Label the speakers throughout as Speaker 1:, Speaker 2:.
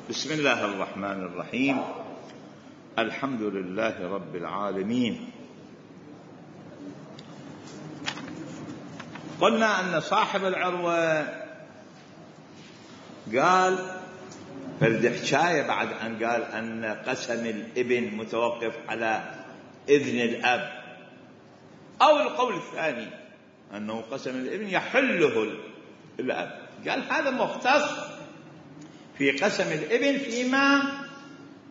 Speaker 1: بسم الله الرحمن الرحيم. الحمد لله رب العالمين. قلنا أن صاحب العروة قال فرد حكاية بعد أن قال أن قسم الابن متوقف على إذن الأب، أو القول الثاني أنه قسم الابن يحله الأب. قال هذا مختص في قسم الابن فيما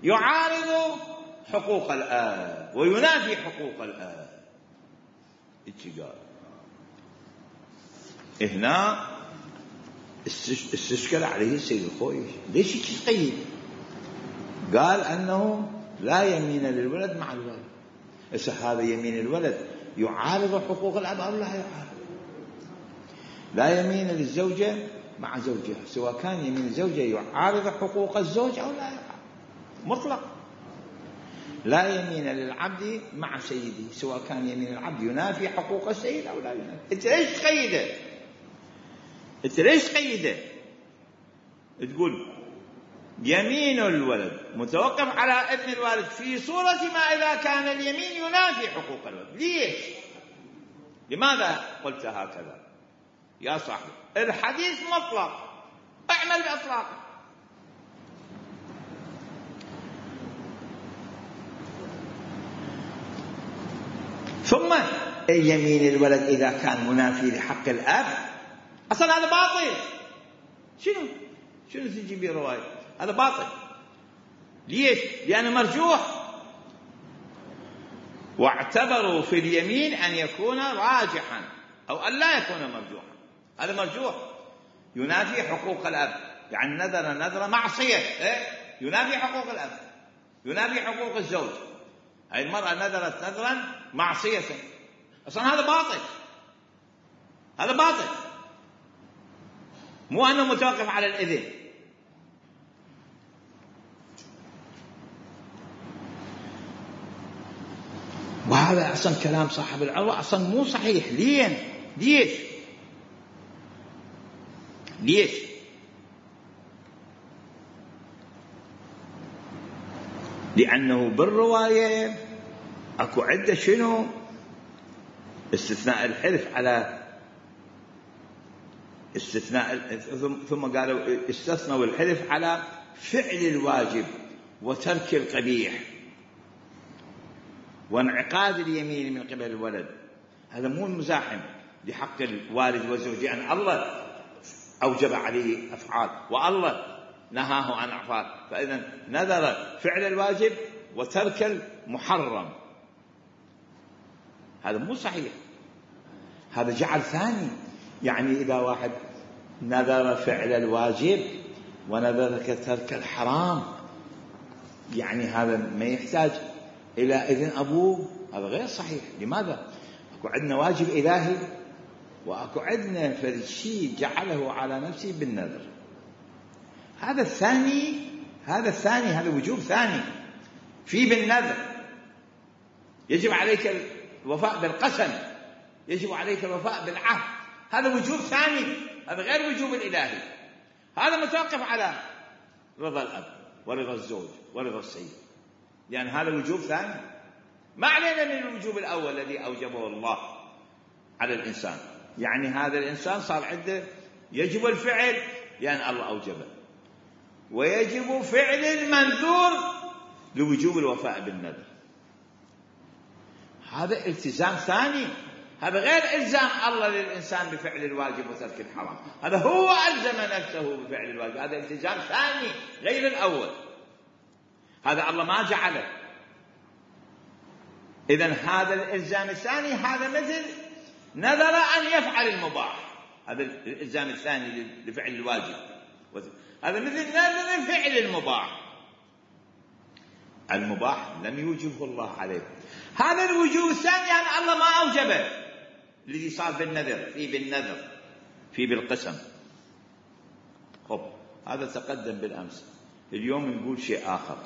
Speaker 1: يعارض حقوق الآب وينافي حقوق الآب. قال هنا استشكل عليه السيد الخوئي، ليش تقيد؟ قال أنه لا يمين للولد مع الولد. هذا يمين الولد يعارض حقوق الأب أو لا يعارض؟ لا يمين للزوجة مع زوجها، سواء كان يمين الزوجة يعارض حقوق الزوج أو لا يعارض، مطلق. لا يمين للعبد مع سيده، سواء كان يمين العبد ينافي حقوق السيد أو لا ينافي. أنت ليش تقيده؟ أنت ليش تقيده؟ تقول يمين الولد متوقف على إذن الوالد في صورة ما إذا كان اليمين ينافي حقوق الولد. ليش؟ لماذا قلت هكذا يا صاحبي؟ الحديث مطلق، اعمل بإطلاق. ثم يمين الولد إذا كان منافي لحق الأب أصلا هذا باطل. شنو تجي به رواية؟ هذا باطل. ليش؟ لأنه مرجوح، واعتبروا في اليمين أن يكون راجحا أو أن لا يكون مرجوحا. هذا مرجوح ينافي حقوق الأب، يعني نذر معصية، ينافي حقوق الأب، ينافي حقوق الزوج. هذه المرأة نذرت نذرا معصية، أصلا هذا باطل. هذا باطل، مو أنه متوقف على الإذن. وهذا أصلا كلام صاحب العروة أصلا مو صحيح. ليش؟ لأنه بالرواية أكو عدة شنو استثناء الحلف على استثناء، ثم قالوا استثنوا الحلف على فعل الواجب وترك القبيح وانعقاد اليمين من قبل الولد. هذا مو مزاحم لحق الوالد والزوج، أن الله أوجب عليه أفعال والله نهاه عن أفعال، فإذا نذر فعل الواجب وترك المحرم. هذا مو صحيح، هذا جعل ثاني. يعني إذا واحد نذر فعل الواجب ونذر ترك الحرام، يعني هذا ما يحتاج إلى إذن أبوه، هذا غير صحيح. لماذا؟ أكو عندنا واجب إلهي، وأكو عندنا فرد شيء جعله على نفسه بالنذر. هذا الثاني، هذا وجوب ثاني في بالنذر. يجب عليك الوفاء بالقسم، يجب عليك الوفاء بالعهد، هذا وجوب ثاني، هذا غير وجوب الإلهي. هذا متوقف على رضا الأب ورضا الزوج ورضا السيد، يعني هذا وجوب ثاني. ما علينا من الوجوب الأول الذي أوجبه الله على الإنسان. يعني هذا الإنسان صار عنده يجب الفعل لأن الله أوجبه، ويجب فعل المنذور لوجوب الوفاء بالنذر. هذا التزام ثاني، هذا غير إلزام الله للإنسان بفعل الواجب وترك الحرام. هذا هو ألزم نفسه بفعل الواجب، هذا التزام ثاني غير الأول. هذا الله ما جعله. إذن هذا الإلزام الثاني هذا مثل نذر أن يفعل المباح، هذا الإلزام الثاني لفعل الواجب. هذا مثل نذر فعل المباح لم يوجبه الله عليه. هذا الوجوب الثاني يعني الله ما أوجبه، الذي صار بالنذر في بالقسم. هذا تقدم بالأمس. اليوم نقول شيء آخر،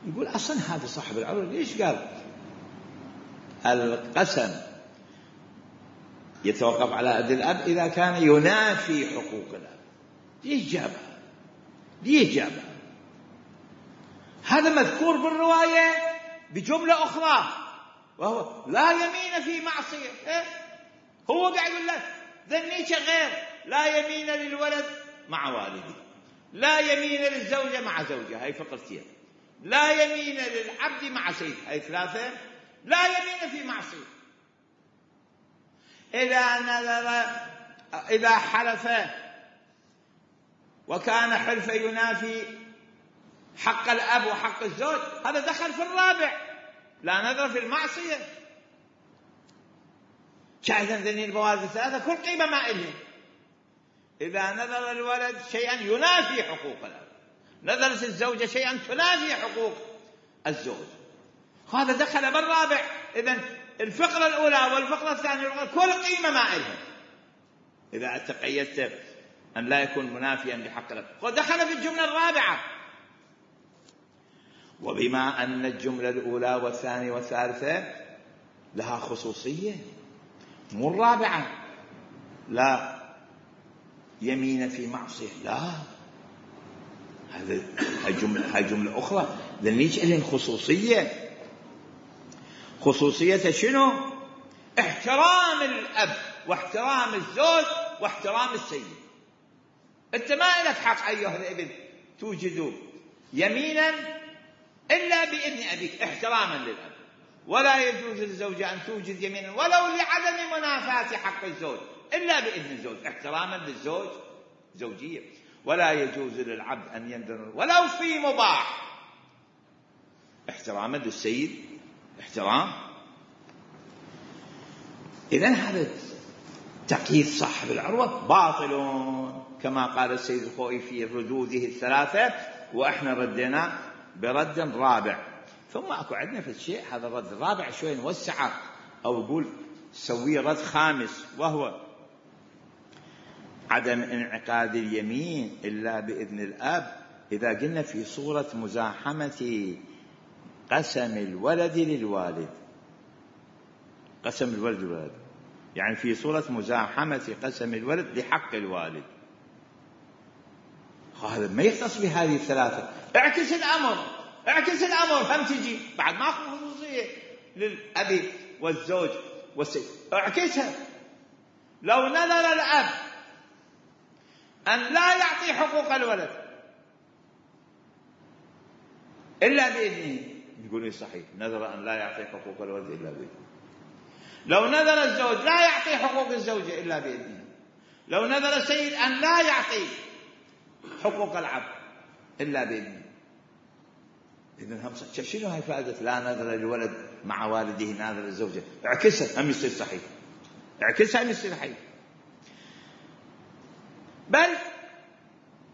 Speaker 1: نقول أصلا هذا صاحب العروة ليش قال القسم يتوقف على يد الأب إذا كان ينافي حقوق الأب؟ ليش جابها؟ هذا مذكور بالرواية بجملة أخرى، وهو لا يمين في معصية. هو قاعد يقول لك ذنيك غير، لا يمين للولد مع والده، لا يمين للزوجة مع زوجها، هاي فقرتين، لا يمين للعبد مع سيد، هاي ثلاثة، لا يمين في معصية. إذا حلف وكان حلفه ينافي حق الأب وحق الزوج، هذا دخل في الرابع، لا نظر في المعصية. شاهدا ذني البوادر الثلاثة كل قيمة ما إلهم. إذا نظر الولد شيئا ينافي حقوق الأب، نظرت الزوجة شيئا تنافي حقوق الزوج، هذا دخل بالرابع. إذن الفقرة الأولى والفقرة الثانية كل قيمة ما إلهم إذا تقيدت أن لا يكون منافيا لحق الأب، ودخل في الجملة الرابعة. وبما أن الجملة الأولى والثانية والثالثة لها خصوصية، مو الرابعة لا يمين في معصية، لا، هاي جملة أخرى، ليش إلين خصوصية؟ خصوصية شنو؟ احترام الأب واحترام الزوج واحترام السيد. أنت ما لك حق أيها الابن توجد يمينا إلا بإذن أبيك احتراما للأب، ولا يجوز للزوجة أن توجد يمينا ولو لعدم منافاة حق الزوج إلا بإذن الزوج احتراما للزوج زوجية، ولا يجوز للعبد أن ينذر ولو في مباح احتراما للسيد احترام. إذن هذا تقييد صاحب العروة باطل كما قال السيد الخوئي في ردوده الثلاثة، وإحنا ردنا برد رابع. ثم أكو عندنا في الشيء هذا الرد الرابع شوي نوسعه أو نقول سويه رد خامس، وهو عدم انعقاد اليمين إلا بإذن الأب إذا قلنا في صورة مزاحمة قسم الولد للوالد، قسم الولد للوالد يعني في صورة مزاحمة قسم الولد لحق الوالد، هذا ما يختص بهذه الثلاثة. اعكس الأمر هم تجي بعد ما أخذ خصوصية للأب والزوج والسيد، اعكسها. لو نذر الأب أن لا يعطي حقوق الولد إلا بإذنه، يقول لي صحيح، نذر أن لا يعطي حقوق الولد إلا بإذنه. لو نذر الزوج لا يعطي حقوق الزوجة إلا بإذنه. لو نذر السيد أن لا يعطي حقوق العبد إلا بإذنه. إذن هم شنو هاي فائدة لا نذر الولد مع والده ناذر الزوجة؟ اعكسها هم يصير صحيح، اعكسها هم يصير صحيح. بل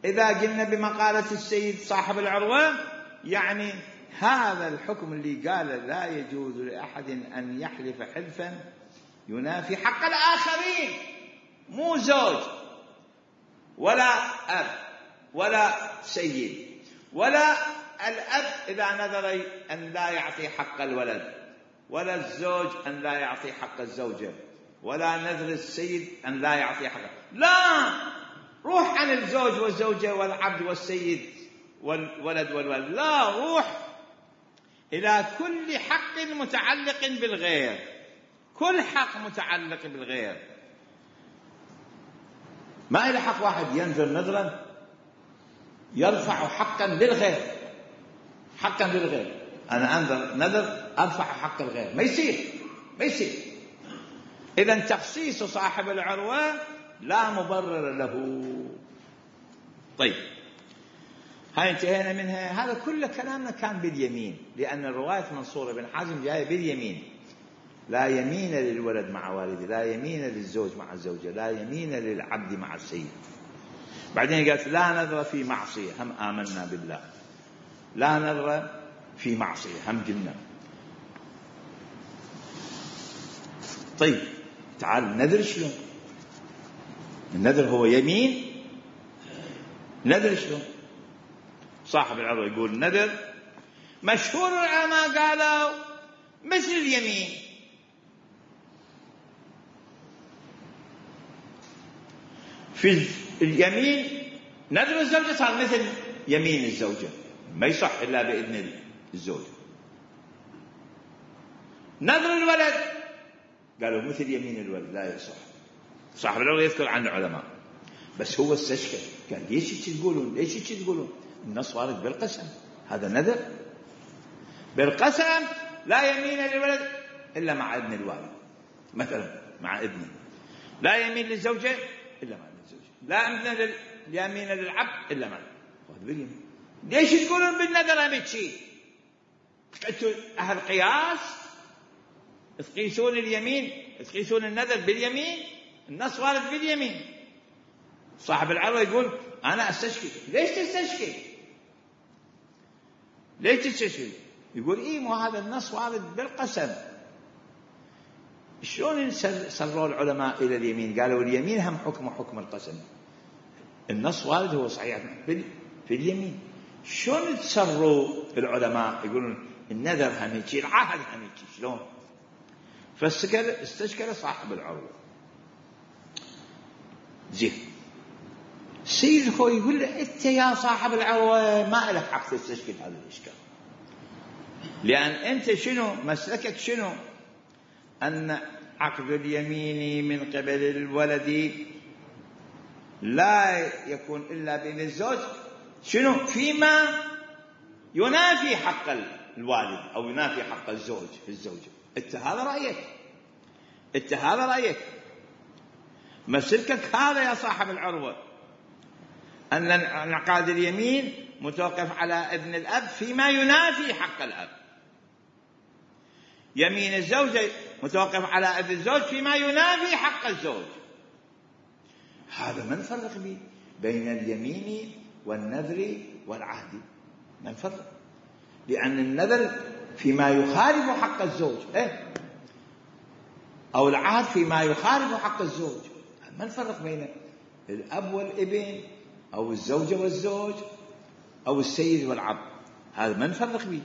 Speaker 1: إذا قلنا بمقالة السيد صاحب العروة يعني هذا الحكم اللي قال لا يجوز لأحد أن يحلف حلفا ينافي حق الآخرين، مو زوج ولا أب ولا سيد ولا الأب إذا نذر أن لا يعطي حق الولد، ولا الزوج أن لا يعطي حق الزوجة، ولا نذر السيد أن لا يعطي حقه، لا، روح عن الزوج والزوجة والعبد والسيد والولد والولد، لا، روح إلى كل حق متعلق بالغير، كل حق متعلق بالغير. ما إلى حق واحد ينذر نذرا يرفع حقا للغير، حقا للغير، أنا أنذر نذر أرفع حق الغير، ما يصير. إذن تخصيص صاحب العروة لا مبرر له. طيب هاي انتهينا منها. هذا كل كلامنا كان باليمين، لأن الرواية منصورة بن حازم جاية باليمين، لا يمين للولد مع والده، لا يمين للزوج مع الزوجة، لا يمين للعبد مع السيد. بعدين قالت لا نذر في معصية، هم آمنا بالله، لا نذر في معصية هم قلنا. طيب تعال النذر شلون؟ النذر هو يمين، نذر شلون؟ صاحب العروة يقول النذر مشهور العلماء قالوا مثل اليمين، في اليمين نذر الزوجة صار مثل يمين الزوجة، ما يصح إلا بإذن الزوج. نذر الولد قالوا مثل يمين الولد لا يصح. صاحب العروة يذكر عن العلماء، بس هو استشكل قال ليش تقولون؟ ليش تقولون؟ النص وارد بالقسم، هذا نذر بالقسم، لا يمين للولد إلا مع ابن الوالد، مثلا مع ابنه، لا يمين للزوجة إلا مع ابن الزوجة، لا يمين للعبد إلا مع باليمين. ليش تقولون بالنذر أمشي؟ أنتم أهل قياس، تقيسون اليمين، تقيسون النذر باليمين، النص وارد باليمين. صاحب العروة يقول أنا أستشكي. ليش تستشكي؟ ليش تستشكي؟ يقول إيه مو هذا النص وارد بالقسم. شلون صروا العلماء إلى اليمين؟ قالوا اليمين هم حكم القسم، النص وارد هو صحيح في اليمين. شلون تصروا العلماء يقولون النذر هم هيك، العهد هم هيك؟ شلون؟ فاستشكل صاحب العروة. زين السيد الخوي يقول له أنت يا صاحب العروة ما لك حق تستشكل هذا الإشكال، لأن أنت شنو مسلكك؟ شنو؟ أن عقد اليمين من قبل الولد لا يكون إلا بين الزوج، شنو؟ فيما ينافي حق الوالد أو ينافي حق الزوج في الزوجة. أنت هذا رأيك، أنت هذا رأيك، مسلكك هذا يا صاحب العروة، أن عقد اليمين متوقف على ابن الأب فيما ينافي حق الأب، يمين الزوجة متوقف على ابن الزوج فيما ينافي حق الزوج. هذا ما نفرق به بين اليمين والنذر والعهد، ما نفرق، لأن النذر فيما يخالف حق الزوج أو العهد فيما يخالف حق الزوج. ما نفرق بين الأب والابن أو الزوجة والزوج أو السيد والعبد، هذا ما نفرق به.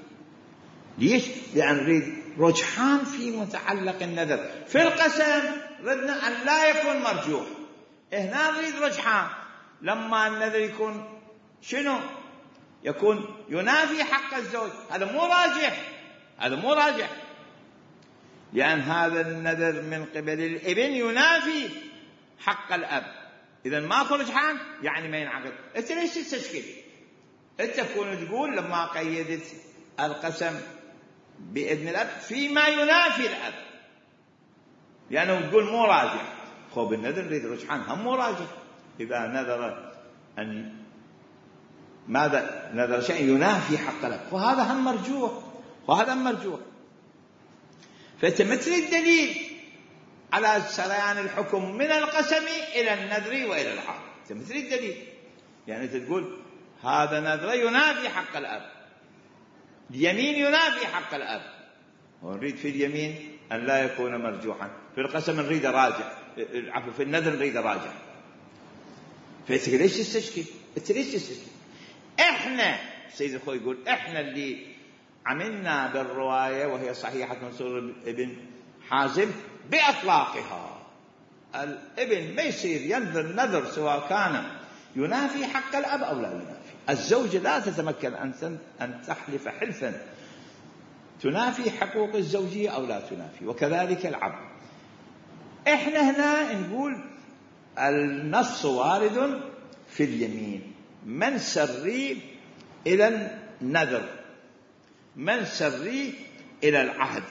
Speaker 1: ليش؟ لأن نريد رجحان في متعلق النذر. في القسم ردنا أن لا يكون مرجوح، هنا نريد رجحان لما النذر يكون شنو؟ يكون ينافي حق الزوج، هذا مو راجح، هذا مو راجح، لأن هذا النذر من قبل الابن ينافي حق الأب. إذا ماكو رجحان يعني ما ينعقد. أنت ليش تستشكل؟ أنت تكون تقول لما قيدت القسم بابن الأب فيما ينافي الأب، لأنه يعني تقول مو راجح. خب النذر نريد رجحان هم مو راجح. إذا نذر أن ماذا نذر شيء ينافي حق الأب وهذا هم مرجوح، وهذا هم مرجوح. فأنت مثل الدليل على سريان الحكم من القسم إلى النذر وإلى العهد، مثل الدليل. يعني أنت تقول هذا نذر ينافي حق الأب، اليمين ينافي حق الأب، ونريد في اليمين أن لا يكون مرجوحا، في القسم نريد راجع، عفوا في النذر نريد راجع. فأنت ليش تستشكل؟ أنت ليش تستشكل؟ إحنا السيد الخوي يقول إحنا اللي عملنا بالرواية وهي صحيحة منصور ابن حازم بأطلاقها. الابن ما يصير ينذر نذر سواء كان ينافي حق الأب أو لا ينافي. الزوجة لا تتمكن أن تحلف حلفا تنافي حقوق الزوجية أو لا تنافي، وكذلك العبد. إحنا هنا نقول النص وارد في اليمين، من سري إلى النذر، من سري إلى العهد.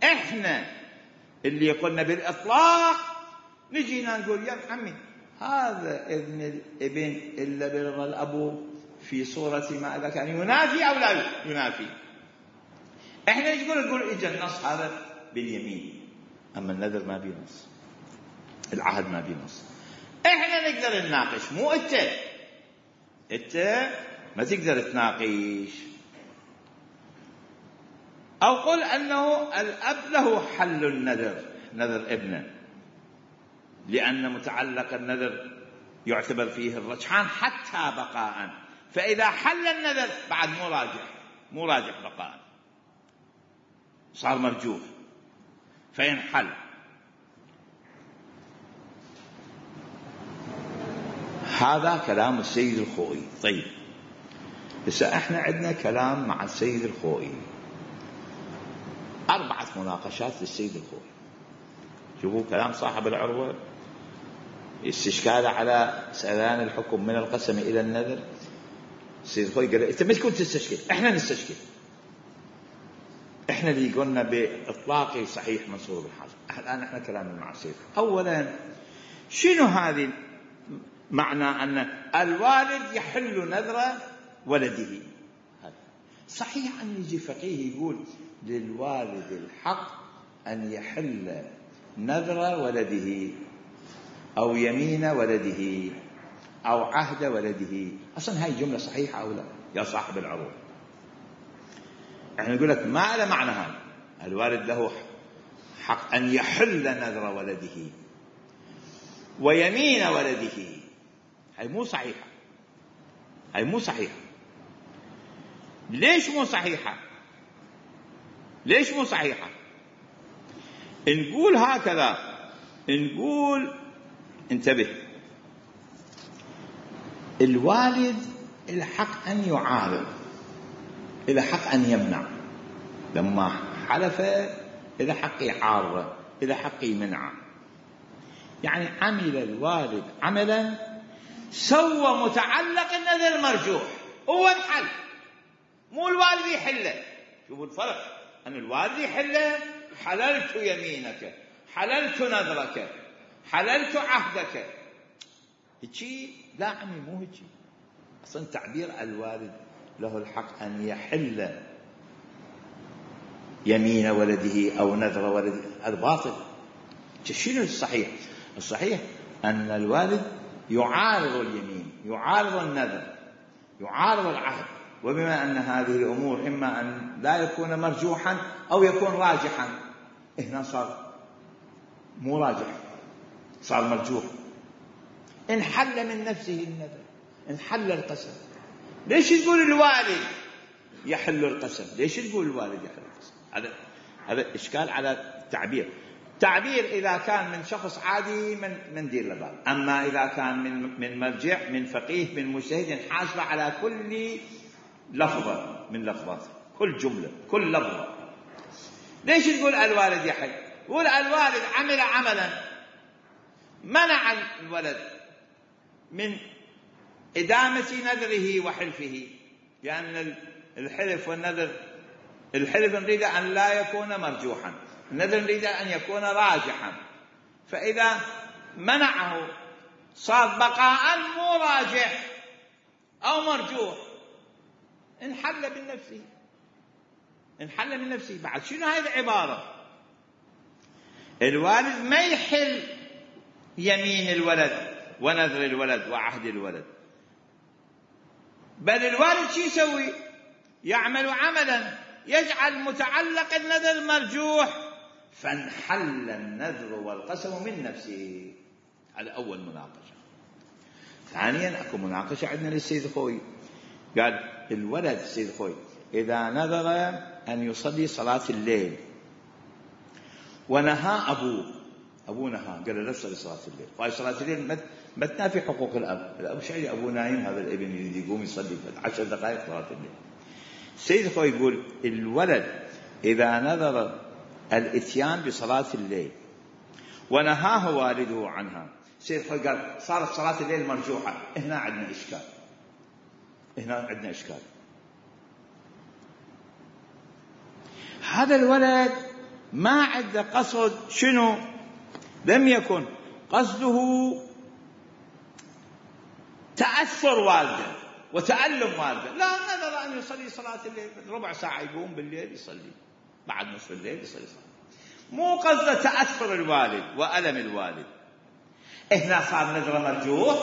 Speaker 1: إحنا اللي قلنا بالإطلاق نجينا نقول يا عمي هذا ابن الابن إلا برضا الأبو في صورة ما إذا كان ينافي أو لا ينافي. إحنا نقول إجا النص هذا باليمين، أما النذر ما بينص، العهد ما بينص. إحنا نقدر نناقش، مو أنت ما تقدر تناقش. أو قل أنه الأب له حل النذر، نذر ابنه، لأن متعلق النذر يعتبر فيه الرجحان حتى بقاء، فإذا حل النذر بعد مو راجح بقاء، صار مرجوح فينحل. هذا كلام السيد الخوئي. طيب هسه احنا عندنا كلام مع السيد الخوئي، 4 مناقشات للسيد الخوئي. شوفوا كلام صاحب العروة، استشكاله على سريان الحكم من القسم إلى النذر. السيد الخوئي قال أنت مش كنت تستشكل، إحنا نستشكل، إحنا اللي قلنا بإطلاقي صحيح منصور بن حازم. الآن إحنا كلامنا مع السيد. أولا شنو هذه معنى أن الوالد يحل نذر ولده؟ صحيح أن يجي فقيه يقول للوالد الحق أن يحل نذر ولده أو يمين ولده أو عهد ولده. أصلا هاي جملة صحيحة أو لا يا صاحب العروة؟ احنا نقول لك ما له معنى هذا. الوالد له حق أن يحل نذر ولده ويمين ولده. هاي مو صحيحة، هاي مو صحيحة. ليش مو صحيحة؟ ليش مو صحيحة؟ نقول هكذا، نقول انتبه، الوالد الحق أن يعارض، إلى حق أن يمنع. لما حلف إلى حق يعارض، إلى حق يمنع. يعني عمل الوالد عملا سوى متعلق النذر المرجوح، هو انحل، مو الوالد يحله. شوفوا الفرق، أن الوالد يحله: حللت يمينك، حللت نذرك، حللت عهدك. هيجي لا عمي، مو هيجي. أصلا تعبير الوالد له الحق أن يحل يمين ولده أو نذر ولده، هذا باطل. شنو الصحيح؟ الصحيح أن الوالد يعارض اليمين، يعارض النذر، يعارض العهد. وبما أن هذه الأمور إما أن لا يكون مرجوحا أو يكون راجحا، هنا صار مو راجح، صار مرجوح. انحل من نفسه النذر، انحل القسم. ليش تقول الوالد يحل القسم؟ ليش تقول الوالد يحل القسم؟ هذا إشكال على التعبير. تعبير إذا كان من شخص عادي من دير لبال، أما إذا كان من مرجع، من فقيه، من مجتهد، حاسب على كل لفظة من لفظات، كل جملة، كل لفظة. ليش تقول الوالد يحل؟ قول الوالد عمل عملا منع الولد من إدامة نذره وحلفه، لأن الحلف والنذر، الحلف نريد أن لا يكون مرجوحا، النذر نريد أن يكون راجحا. فإذا منعه صار بقاء مو راجح أو مرجوح، انحل من نفسه، انحل من نفسه. بعد شنو هاي العبارة؟ الوالد ما يحل يمين الولد ونذر الولد وعهد الولد، بل الوالد شو يسوي؟ يعمل عملا يجعل متعلق النذر مرجوح، فانحل النذر والقسم من نفسه. هذا أول مناقشة. ثانيا أكو مناقشة عندنا للسيد الخوئي، قال الولد السيد الخوئي إذا نذر أن يصلي صلاة الليل ونهى أبوه نهى، قال له لا تصلي صلاة الليل، وهي صلاة الليل ما تنافي حقوق الأب شيء، أبوه نايم، هذا الابن يريد يقوم يصلي 10 دقائق صلاة الليل. السيد الخوئي يقول الولد إذا نذر الإتيان بصلاة الليل ونهاه والده عنها، السيد الخوئي قال صارت صلاة الليل مرجوحة. هنا عندنا إشكال، هنا عندنا إشكال. هذا الولد ما عنده قصد، شنو؟ لم يكن قصده تأثر والده وتألم والده، لا، نذر أن يصلي صلاة الليل، ربع ساعة يقوم بالليل يصلي، بعد نصف الليل يصلي صلاة. مو قصده تأثر الوالد وألم الوالد. هنا صار نذر مرجوح،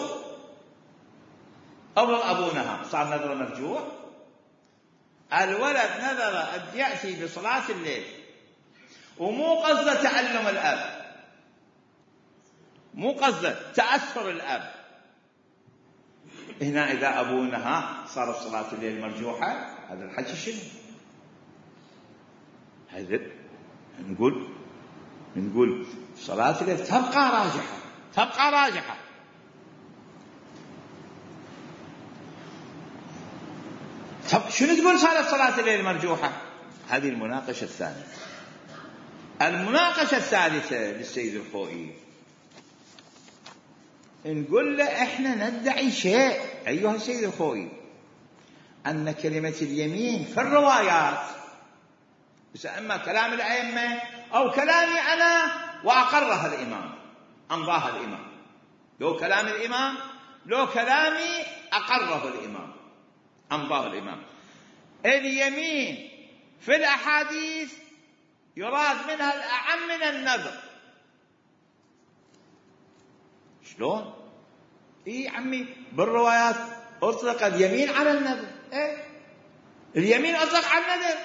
Speaker 1: أو أبونها صار نذر مرجوح. الولد نذر أن يأتي بصلاة الليل ومو قصده تألم الأب، مو قصده تأثر الأب. هنا إذا أبونها صارت صلاة الليل مرجوحة. هذا الحكي شنو؟ هذا نقول صلاة الليل تبقى راجحة، تبقى راجحة. طب شنو تقول صارت صلاة الليل مرجوحة؟ هذه المناقشة الثانية. المناقشة الثالثة للسيد الخوئي، نقول له احنا ندعي شيء ايها السيد الخوئي، ان كلمة اليمين في الروايات، اما كلام الائمة او كلامي انا واقرها الامام امضاها الامام، لو كلام الامام لو كلامي اقره الامام امضاه الامام. اليمين في الاحاديث يراد منها الاعم من النذر. شلون؟ اي عمي بالروايات اطلق اليمين على النذر. اليمين اطلق على النذر،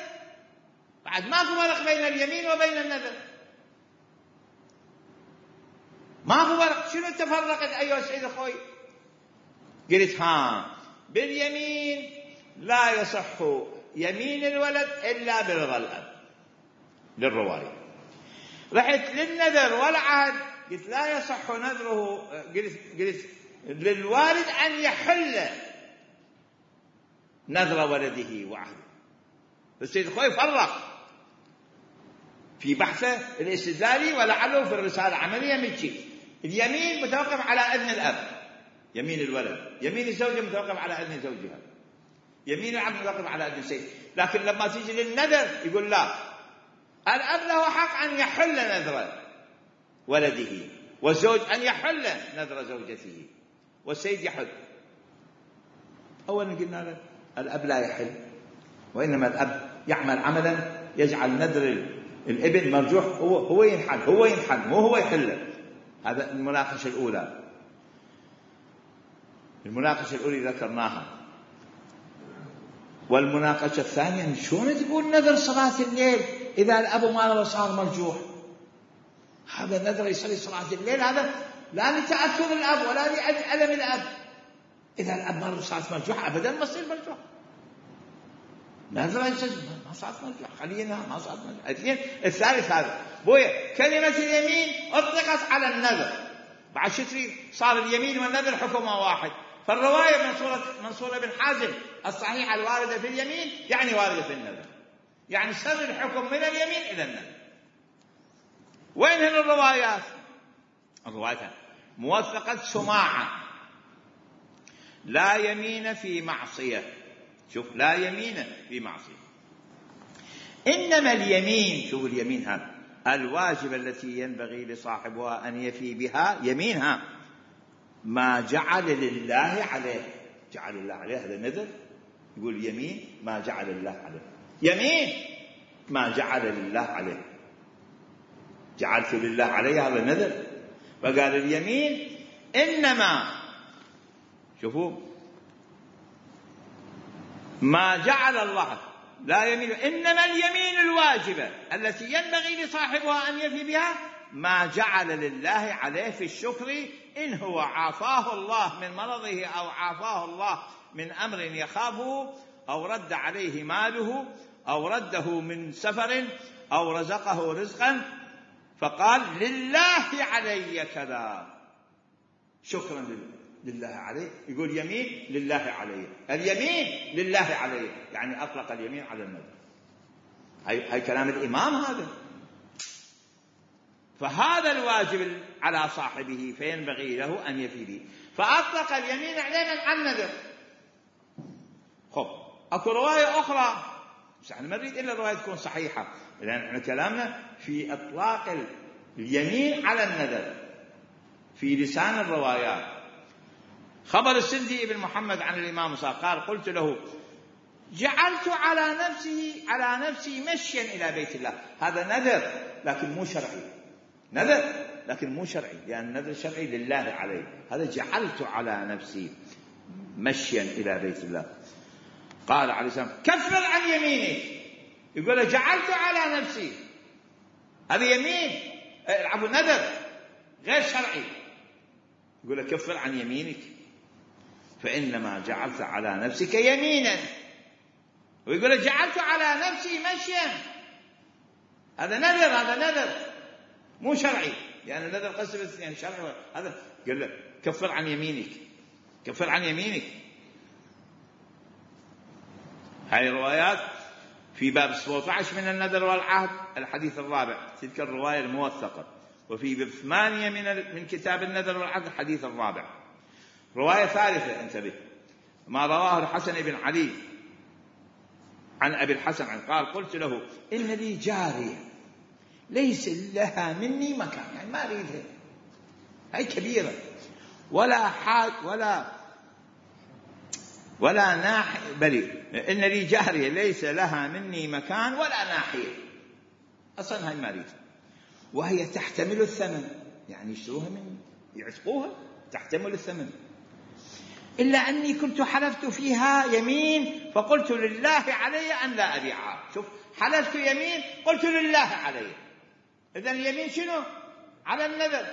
Speaker 1: بعد ماكو فرق بين اليمين وبين النذر، ماكو فرق. شنو تفرقت ايها السيد اخوي؟ قلت باليمين لا يصح يمين الولد الا برضا الاب للروايه. رحت للنذر والعهد قلت لا يصح نذره، قلت للوالد ان يحل نذر ولده وعهده. السيد الخوئي فرق في بحثه الاستدلالي ولعله في الرسالة عملية من شيء. اليمين متوقف على إذن الأب، يمين الولد. يمين الزوجة متوقف على إذن زوجها. يمين العبد متوقف على إذن السيد. لكن لما تيجي للنذر يقول لا، الأب له حق أن يحل نذر ولده، والزوج أن يحل نذر زوجته، والسيد يحل. أولا قلنا له الأب لا يحل، وإنما الأب يعمل عملا يجعل نذر الابن مرجوح، هو ينحل مو هو يحل. هذا المناقشة الأولى. المناقشة الأولى ذكرناها. والمناقشة الثانية، شلون تقول نذر صلاة الليل إذا الأب ما صار مرجوح؟ هذا نذر يصلي صلاة الليل، هذا لا لتأثر الأب ولا لألم الأب. إذا الأب ما صار مرجوح أبدا ما يصير مرجوح. نذر ما صارت مرجوح، خلينا ما صارت مرجوح. الثالث هذا بويا كلمة اليمين أطلقت على النذر، بعد شتري صار اليمين والنذر حكمه واحد. فالرواية منصورة بن حازم الصحيحة الواردة في اليمين يعني واردة في النذر، يعني سر الحكم من اليمين إلى النذر. وين هن الروايات؟ الروايات موثقة سماعة، لا يمين في معصية. شوف، لا يمين في معصية. إنما اليمين، شوف اليمين هذا الواجب التي ينبغي لصاحبها أن يفي بها يمينها ما جعل لله عليه. جعل الله عليه هذا نذر، يقول يمين ما جعل الله عليه، يمين ما جعل لله عليه. جعلت لله عليه هذا نذر. فقال اليمين إنما، شوفوا، ما جعل الله لا يمين، إنما اليمين الواجبة التي ينبغي لصاحبها أن يفي بها ما جعل لله عليه في الشكر، إن هو عافاه الله من مرضه أو عافاه الله من أمر يخافه، أو رد عليه ماله، أو رده من سفر، أو رزقه رزقا فقال لله علي كذا، شكرا لله عليه. يقول يمين لله عليه، اليمين لله عليه، يعني أطلق اليمين على النذر. هاي كلام الإمام هذا. فهذا الواجب على صاحبه فينبغي له أن يفي به، فأطلق اليمين عليه على النذر. خب أكو رواية أخرى، بس احنا ما نريد إلا الرواية تكون صحيحة، لأن احنا كلامنا في إطلاق اليمين على النذر في لسان الروايات. خبر السندي ابن محمد عن الإمام صار قال قلت له جعلت على نفسي مشيا إلى بيت الله. هذا نذر لكن مو شرعي، نذر لكن مو شرعي، لأن النذر الشرعي لله عليه. هذا جعلت على نفسي مشيا إلى بيت الله. قال عليه السلام كفر عن يمينك. يقول جعلت على نفسي، هذا يمين، العبوا نذر غير شرعي. يقول كفر عن يمينك فإنما جعلت على نفسك يمينا. ويقول جعلت على نفسي مشيا، هذا نذر مو شرعي، يعني النذر قسم يعني شرعي. هذا قال له كفر عن يمينك، كفر عن يمينك. هاي الروايات في باب 17 من النذر والعهد الحديث الرابع، تلك الرواية الموثقة. وفي باب 8 من كتاب النذر والعهد الحديث الرابع. رواية ثالثة انتبه، ما رواه الحسن بن علي عن أبي الحسن قال قلت له إن لي جارية ليس لها مني مكان، يعني ما أريدها، هاي كبيرة، ولا حاج ولا ناحية، بل إن لي جارية ليس لها مني مكان ولا ناحية، أصلا هاي ما أريدها، وهي تحتمل الثمن، يعني يشتروها مني يعتقوها تحتمل الثمن، إلا أني كنت حلفت فيها يمين فقلت لله علي أن لا أبيعها. شوف، حلفت يمين قلت لله علي، إذن اليمين شنو؟ على النذر.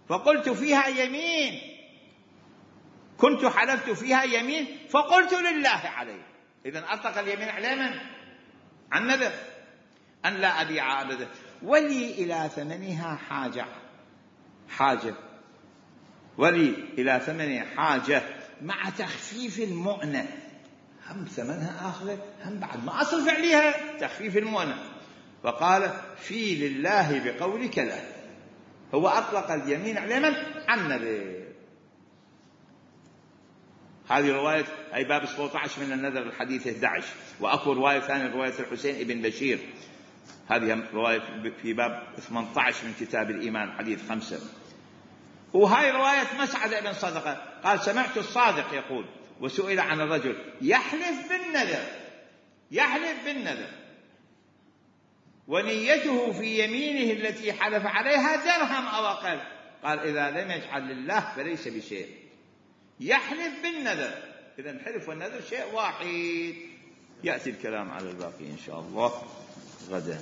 Speaker 1: فقلت فيها يمين، كنت حلفت فيها يمين فقلت لله علي، إذن أطلق اليمين على من؟ عن النذر، أن لا أبيعها أبدا، ولي إلى ثمنها حاجة ولي إلى ثمنها حاجة مع تخفيف المؤنة، هم ثمنها آخر، هم بعد ما أصرف عليها تخفيف المؤنة. فقال في لله بقولك لا، هو أطلق اليمين على من؟ عن النذر. هذه رواية أي باب 17 من النذر الحديث 11. وأكو رواية ثانية، رواية الحسين بن بشير، هذه رواية في باب 18 من كتاب الإيمان حديث 5. وهاي رواية مسعد بن صدقة قال سمعت الصادق يقول وسئل عن الرجل يحلف بالنذر ونيته في يمينه التي حلف عليها درهم أو أقل، قال إذا لم يجعل لله فليس بشيء، يحلف بالنذر، إذا الحلف والنذر شيء واحد. يأتي الكلام على الباقي إن شاء الله غدا.